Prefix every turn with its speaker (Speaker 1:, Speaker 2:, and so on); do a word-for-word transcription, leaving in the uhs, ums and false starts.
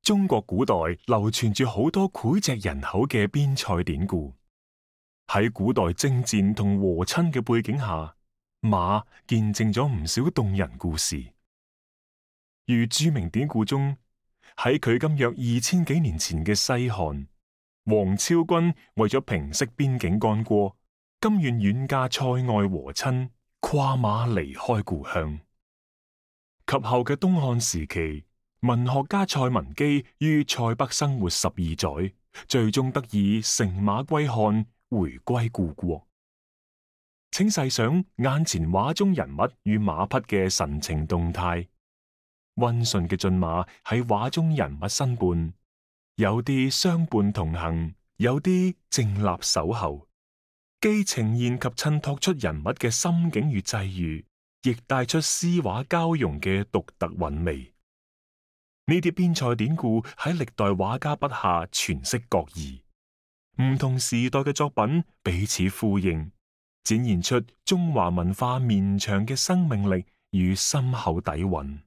Speaker 1: 中國古代流傳住好多膾炙人口嘅邊塞典故。喺古代征戰同和親嘅背景下，馬見證咗唔少動人故事。如著名典故中，喺距今約二千幾年前嘅西漢，王昭君為咗平息邊境干戈，甘願遠嫁塞外和親，跨馬離開故鄉。及後嘅東漢時期，文學家蔡文姬於塞北生活十二載，最終得以乘馬歸漢，回歸故國。請細想眼前畫中人物與馬匹嘅神情動態，溫順嘅駿馬喺畫中人物身畔，有啲相伴同行，有啲靜立守候，既呈現及襯托出人物嘅心境與際遇，亦帶出詩畫交融嘅獨特韻味。呢啲邊塞典故喺歷代畫家筆下詮釋各異，唔同時代嘅作品彼此呼應，展現出中華文化綿長嘅生命力與深厚底蘊。